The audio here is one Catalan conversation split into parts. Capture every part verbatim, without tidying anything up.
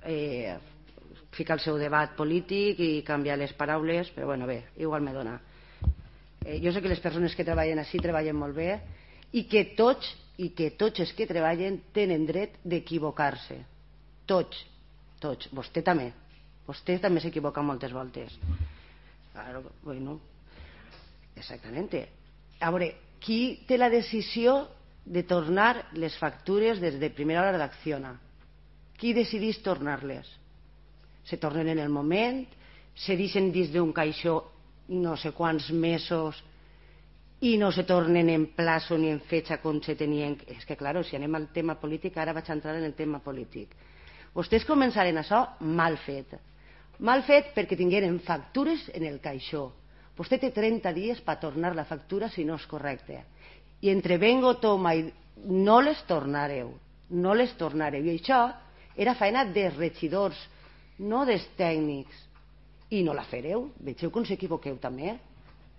eh, ficar el seu debat polític i canviar les paraules, però bueno, bé, igual me dona. Eh, jo sé que les persones que treballen així treballen molt bé i que tots i que tots els que treballen tenen dret d'equivocar-se. Tots, tots. Vostè també. Vostè també s'equivoca moltes voltes. Claro, bueno, exactamente. A veure, qui té la decisió de tornar les factures des de primera hora d'Acciona? Qui decideix tornar-les? Se tornen en el moment, se deixen dins d'un caixó no sé quants mesos i no se tornen en plazo ni en fetxa com se tenien. És que, claro, si anem al tema polític, ara vaig entrar en el tema polític. Vostès començaren això mal fet. Mal fet perquè tingueren factures en el caixó. Vostè té trenta dies per tornar la factura si no és correcte. I entre vengo, toma i no les tornareu. No les tornareu. I això era feina de regidors, no dels tècnics. I no la fareu. Vegeu com s'equivoqueu també.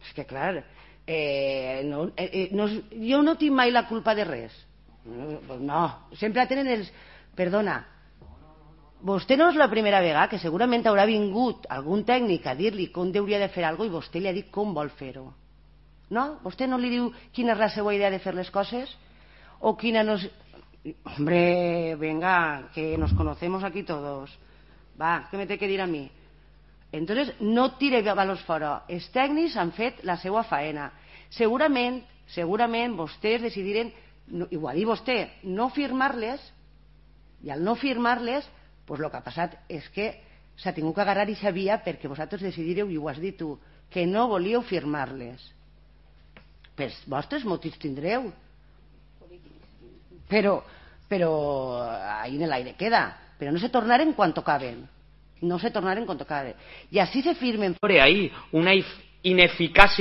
És que, clar, eh, no, eh, no, jo no tinc mai la culpa de res. No, no. Sempre tenen els... Perdona, vostè no és la primera vegada que segurament haurà vingut algun tècnic a dir-li com hauria de fer alguna cosa i vostè li ha dit com vol fer-ho. No? Vostè no li diu quina és la seva idea de fer les coses? O quina no és... Hombre, venga, que nos conocemos aquí todos. Va, què me té que dir a mi? Entonces, no tire valors fora. Els tècnics han fet la seva faena. Segurament, segurament vostès decidiren, i ho ha dit vostè, no firmar-les, i al no firmar-les, pues el que ha passat és que s'ha tingut que agarrar i sabia perquè vosaltres decidireu, i ho has dit tu, que no volíeu firmar-les. Pels vostres motius tindreu. Però, però ahí en l'aire queda. Però no se tornaren quan tocaven. No se tornaren quan tocaven. I així se firmen. Hay una ineficacia